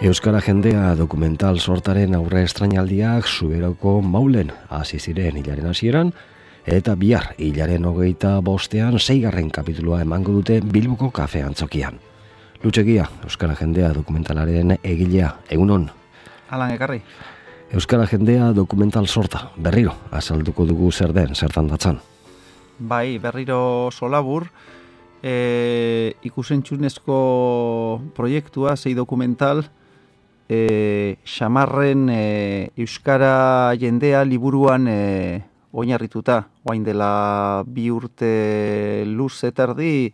Euskara jendea dokumental sortaren aurre estrainaldiak Zuberoko Maulen hasi ziren hilaren hasieran, eta bihar hilaren 25ean 6. kapitulua emango dute Bilboko kafe antzokian. Lutxegia, Euskara jendea dokumentalaren egilea, egunon. Alan ekarri. Euskara jendea dokumental sorta, berriro, azalduko dugu zer den, zertan datzan. Bai, berriro solabur, ikusentzunezko proiektua, 6 dokumental, xamarren Euskara jendea liburuan oinarrituta, oain dela 2 urte luz etardi,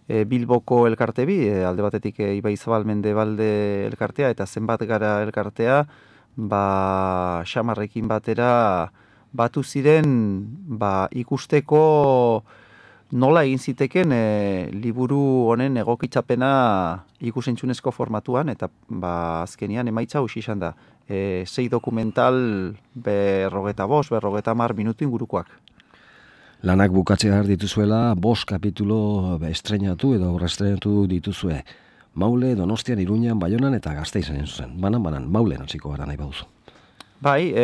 Bilboko elkarte bi, alde batetik Ibaizabal Mendebalde elkartea eta Zenbat Gara elkartea, xamarrekin batera batu ziren ikusteko nola egin ziteken liburu honen egokitzapena ikusentzunezko formatuan, eta azkenian emaitza hausi izan da. 6 dokumental 45-50 minutu ingurukoak. Lanak bukatzea dituzuela 5 kapitulo estreinatu edo estrenatu dituzue. Maule, Donostian, Iruñan, Baionan eta Gasteizen zuzen. Banan, Maulen hasiko gara nahi baduzu. Bai,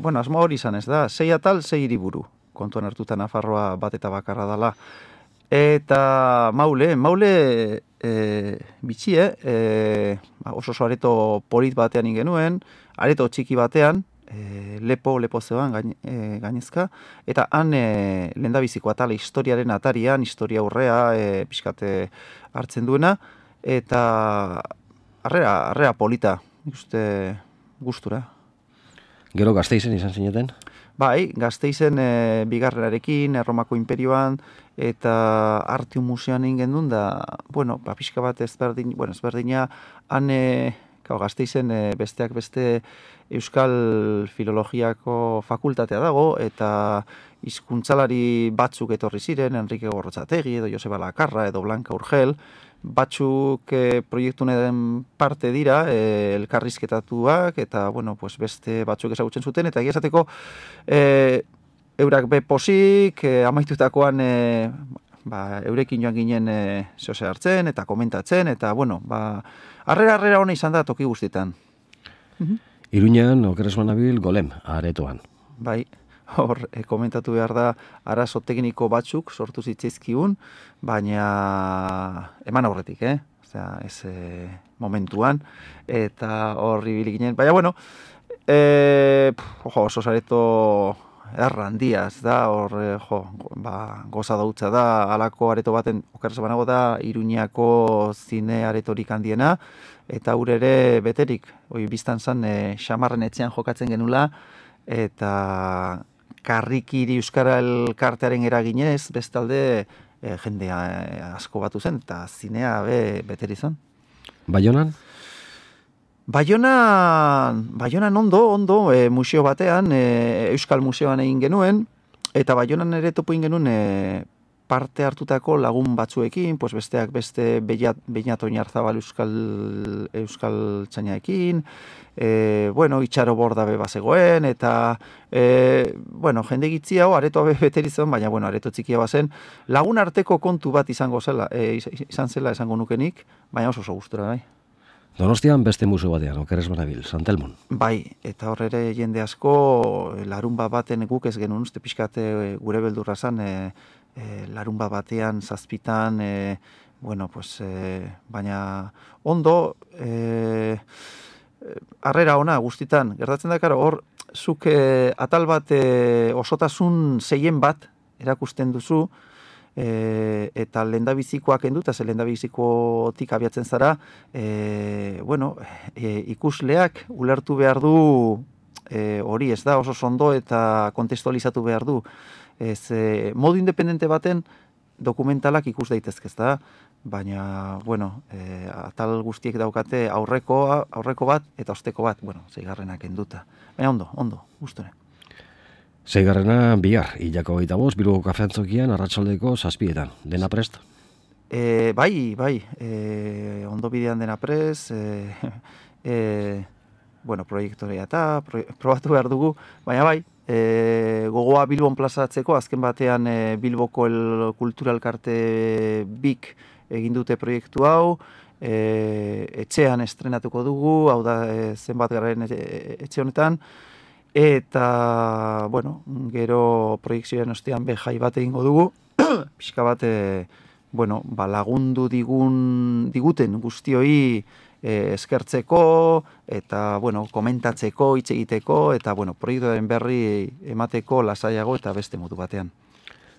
asmo hori izan ez da, 6 atal, 6 hiriburu. Kontuan hartuta Nafarroa bat eta bakarra dela. Eta Maule bitxie, oso areto polit batean ingenuen, areto txiki batean, lepo zeban gainezka, eta han lehendabiziko atala historiaren atarian, historia aurrea pixkate hartzen duena, eta arrera polita, ikuste gustura. Gero Gasteizen izan zineten? Bai, Gasteizen bigarrenarekin, Erromako Imperioan, eta Artium Museoan egin gendun da, pixka bat ezberdina, han Gasteizen besteak beste Euskal Filologiako fakultatea dago, eta hizkuntzalari batzuk etorri ziren, Enrique Gorrotxategi, edo Joseba Lakarra, edo Blanca Urgel, batzuk proiektunaren parte dira, elkarrizketatuak, eta beste batzuk ezagutzen zuten, eta egia esateko eurak beposik, amaitutakoan eurekin joan ginen zehose hartzen, eta komentatzen, eta arrera hona izan da toki guztietan. Iruñan, okeres banabil, Golem, aretoan. Bai, hor, komentatu behar da, arazo tekniko batzuk sortu zitzaizkigun, baina eman aurretik, Osea, ez momentuan, eta horri bilik ginen. Baina, oso areto errandia, ez da, hor, goza dautza da, alako areto baten, okeres banago da, Iruñako zine aretorik handiena, eta ere beterik, biztan zan, xamarren etxean jokatzen genula, eta karrikiri Euskara elkartearen eraginez, bestalde jendea asko batu zen, eta zinea beteri zen. Baionan? Baionan ondo, museo batean, Euskal Museoan egin genuen, eta Baionan ere topo egin genuen parte hartutako lagun batzuekin, besteak beste Beñat Oinarzabal Euskal Txainaekin, itxaro borda bazegoen, eta jende gitzi hau areto beterizan, baina areto txikia bazen, lagun arteko kontu bat izan zela esango nukenik, baina oso gustura, bai. Donostian beste museo batean, okeres banabil, Santelmon. Bai, eta horre jende asko, larunba baten guk ez genuen, uste pixkate gure beldurra zan, larunba batean, zazpitan, baina ondo, harrera ona guztitan, gertatzen da, hor, zuk atal bat osotasun 6 bat erakusten duzu, eta lehendabizikoak enduta, ze lehendabizikotik abiatzen zara, ikusleak ulertu behar du hori, ez da, oso ondo eta kontestualizatu behar du. Modu independente baten dokumentalak ikus daitezke, ez da, baina, atal guztiek daukate aurreko bat eta osteko bat, 6. enduta. Baina ondo, gustore. 6. bihar, hilako 25, Bilboko kafe antzokian, arratsaldeko 7etan. Dena prest? Bai, ondo bidean dena prest, proiektorea eta probatu behar dugu, baina bai, gogoa Bilbon plazatzeko, azken batean Bilboko kultura elkarte bik egin dute proiektu hau, etxean estrenatuko dugu, hau da zenbat garen etxe honetan, eta, bueno, gero proiekzioen ostean jai bat egingo dugu, pixka bat, bueno, lagundu diguten guztioi eskertzeko, eta, bueno, komentatzeko, hitz egiteko, eta, bueno, proiektuaren berri emateko lasaiago eta beste modu batean.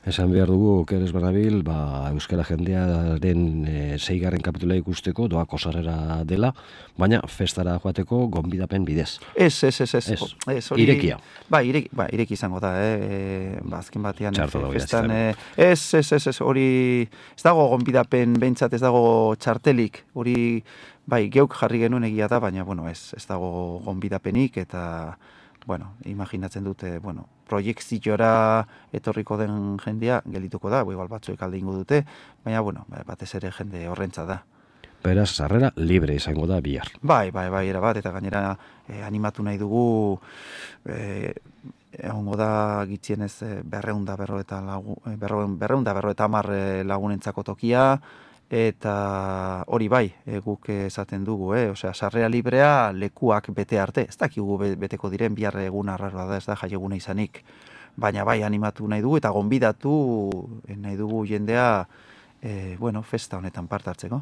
Esan behar dugu, Okeres Banabil, Euskara jendearen 6. kapitula ikusteko doako sarrera dela, baina festara joateko gonbidapen bidez. Ez. Irekia. Ireki izango da, azken batean festan. Ez, Hori, ez dago gonbidapen, behintzat ez dago txartelik, hori, geuk jarri genuen egia da, baina, bueno, ez dago gonbidapenik, eta, bueno, imaginatzen dute, proiekziora etorriko den jendea gelituko da, igual batzuek alde ingo dute, baina, bueno, batez ere jende horrentza da. Beraz, sarrera libre izango da bihar. Bai, erabat, eta gainera animatu nahi dugu, egongo da gitzienez 250 lagunentzako tokia, eta hori guk esaten dugu, osea, sarrera librea lekuak bete arte, ez dakigu beteko diren, bihar egun arraroa da, ez da jaieguna izanik, baina animatu nahi dugu, eta gonbidatu nahi dugu jendea, festa honetan parte hartzeko.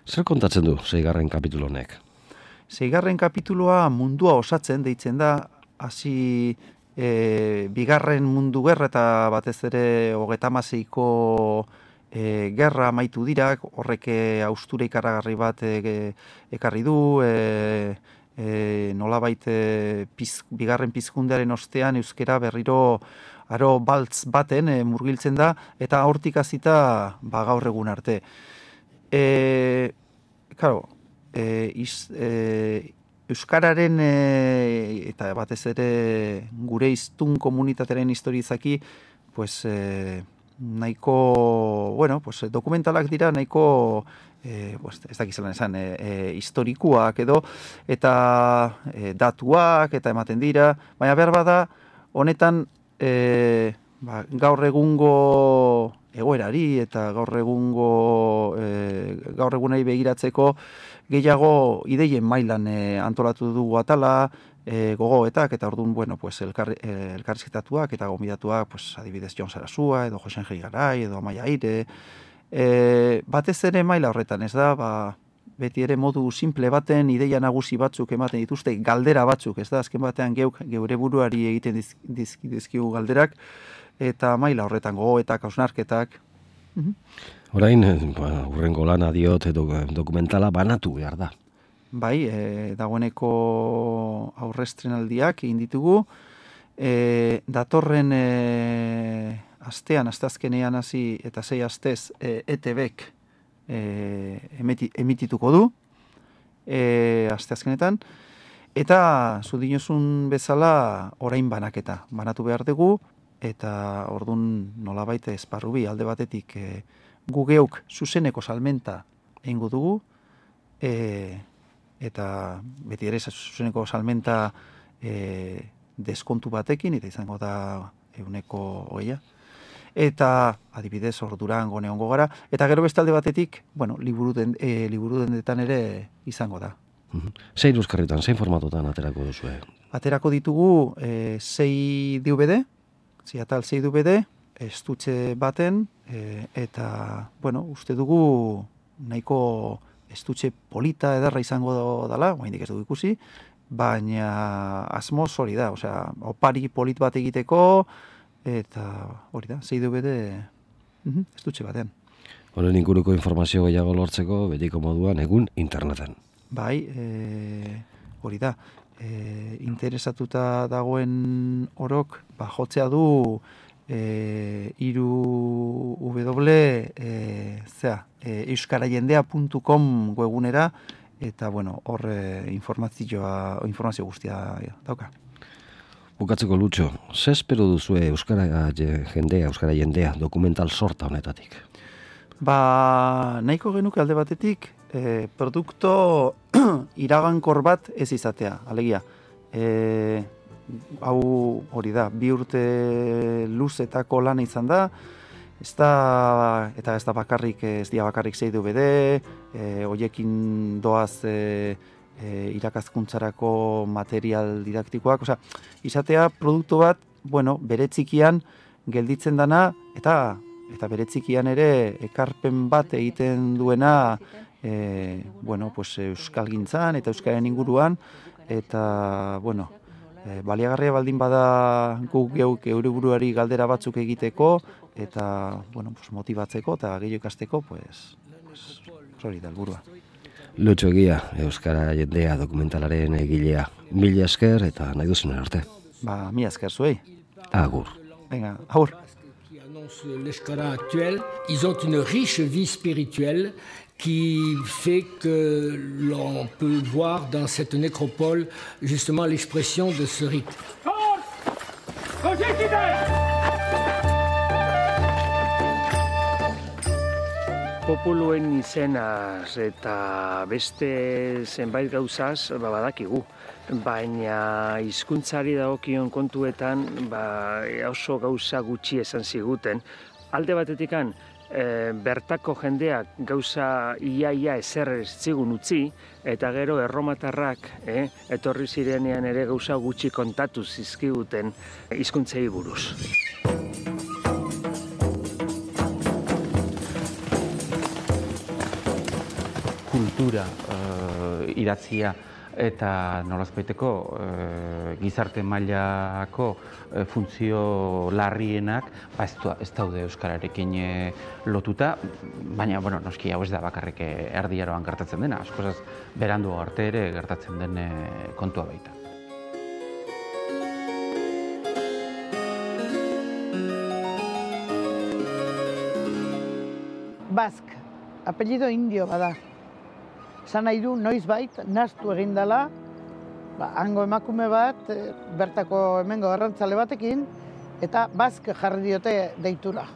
Zer kontatzen du 6. kapitulu honek? 6. kapitulua mundua osatzen deitzen da, hasi bigarren mundu gerra eta batez ere 36ko gerra amaitu dira, horrek haustura ikaragarri bat ekarri du, nolabait bigarren pizkundearen ostean euskera berriro aro baltz baten murgiltzen da, eta hortik hasita gaur egun arte. Euskararen eta batez ere gure hiztun komunitatearen historizaki, nahiko, dokumentalak dira nahiko, ez dakizelan esan, historikuak edo, eta datuak eta ematen dira, baina behar bada, honetan gaur egungo egoerari eta gaur egunei begiratzeko gehiago ideien mailan antolatu dugu atala, gogoetak, eta orduan, elkarrizketatuak eta gonbidatuak, adibidez Jon Sarasua, edo Josen Geri Garai, edo Amaia Aire, batez ere maila horretan, ez da, beti ere modu simple baten, ideia nagusi batzuk ematen dituzte, galdera batzuk, ez da, azken batean geure buruari egiten dizkigu galderak, eta maila horretan gogoetak, hausnarketak. Orain, hurrengo lana diot, dokumentala banatu behar da. Bai, dagoeneko aurrestrenaldiak egin ditugu, datorren asteazkenean hasi eta 6 astez ETBek emitituko du, asteazkenetan, eta zudinozun bezala orain banatu behar dugu, eta ordun nolabait esparrubi alde batetik gu geuk zuzeneko salmenta egingo dugu, eta beti ere zuzeneko salmenta deskontu batekin, eta izango da 120, eta adibidez Durango neongo gara, eta gero beste alde batetik, liburu dendetan ere izango da. Zein euskarritan, zein formatotan aterako duzue? Aterako ditugu 6 DVD, 6 DVD, estutxe baten, eta, uste dugu nahiko estutxe polita ederra izango dela, oraindik ez dugu ikusi, baina asmoz hori da, osea, opari polit bat egiteko, eta hori da, 6 DVD estutxe batean. Honen inguruko informazio gehiago lortzeko, betiko moduan, egun interneten. Bai, hori da, interesatuta dagoen orok, jotzea du euskarajendea.com webgunera, eta hor informazio guztia dauka. Bukatzeko Lutxo, ze espero duzue Euskara jendea dokumental sorta honetatik? Nahiko genuke alde batetik, produkto iragankor bat ez izatea, alegia. Hau hori da, 2 urte luzetako lana izan da, ez da bakarrik, ez dira bakarrik zeidu bede, hoiekin doaz irakaskuntzarako material didaktikoak, izatea produktu bat, bere txikian gelditzen dana, eta bere txikian ere ekarpen bat egiten duena euskalgintzan eta euskaren inguruan, eta, baliagarria baldin bada guk geuk eure buruari galdera batzuk egiteko, eta, motibatzeko eta gehiago ikasteko, hori da helburua. Lutxo Egia, Euskara Jendea dokumentalaren egilea. Mila esker eta nahi duzunen arte. Mila esker zuei. Agur. Venga, agur. L'Euskara actuel, ils ont une riche vie spirituelle qui fait que l'on peut voir dans cette nécropole justement l'expression de ce rite. Populuen izenaz eta beste zenbait gauzaz badakigu, baina hizkuntzari dagokion kontuetan oso gauza gutxi esan ziguten. Alde batetikan, bertako jendeak gauza iaia ezer ez zigun utzi, eta gero erromatarrak etorri zirenean ere gauza gutxi kontatu zizkiguten hizkuntzei buruz. Kultura idatzia eta nolazbaiteko gizarte mailako funtzio larrienak ez daude euskararekin lotuta, baina noski hau ez da bakarrik erdiaroan gertatzen dena, askozaz berandu arte ere gertatzen den kontua baita. Bask, apellido indio bada. Zan nahi du, noizbait, naztu egindala, hango emakume bat, bertako hemengo arrantzale batekin, eta Bask jarri diote deitura.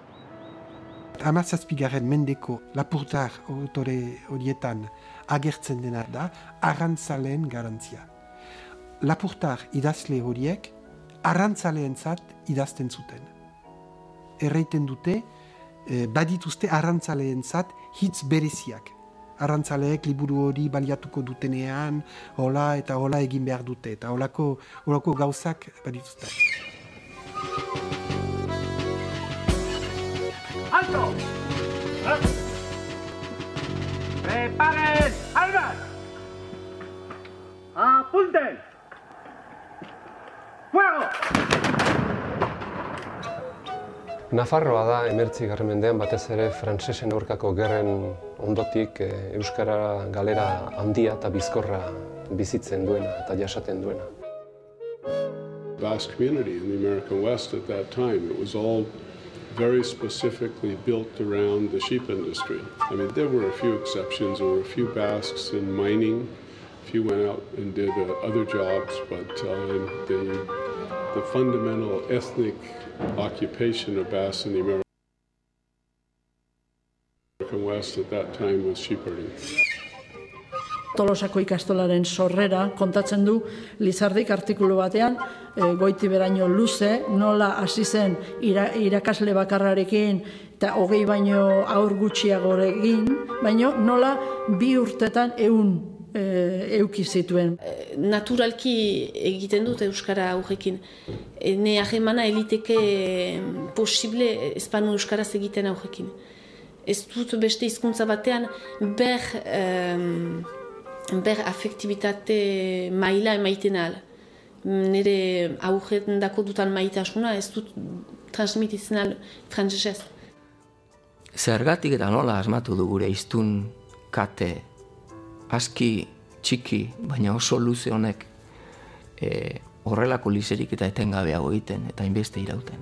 17. mendeko lapurtar autore horietan agertzen dena da arrantzaleen garantzia. Lapurtar idazle horiek arrantzaleentzat idazten zuten. Erraiten dute, badituzte arrantzaleentzat hitz bereziak. Arrantzaleek liburu hori baliatuko dutenean, hola eta hola egin behar dute, eta holako gauzak badituzte. ¡Alto! ¡Preparen armas! ¡Apunten! ¡Fuego! Nafarroa da 19. mendean batez ere frantsesen aurkako gerren ondotik euskara galera handia eta bizkorra bizitzen duena eta jasaten duena. Basque community in the American West at that time, it was all very specifically built around the sheep industry. I mean, there were a few exceptions. There were a few Basques in mining. A few went out and did other jobs, but the fundamental ethnic occupation of Basque in the American West at that time was shepherding. Tolosako ikastolaren sorrera kontatzen du Lizardik artikulu batean, goiti beraino luze, nola hasi zen irakasle bakarrarekin eta 20 baino aur gutxiagorekin, baino nola 2 urtetan 100 euki zituen. Naturalki egiten dut euskara aurrekin. Ne ahemana eliteke posible espanu euskaraz egiten aurrekin. Ez dut beste hizkuntza batean ber afektibitate maila emaiten ahal. Nire aurretan dako dutan maitasuna ez dut transmititzen ahal frantsesez. Zergatik eta nola asmatu du gure hiztun kate aski txiki, baina oso luze honek horrelako lizerik eta etengabeago egiten eta hainbeste irauten.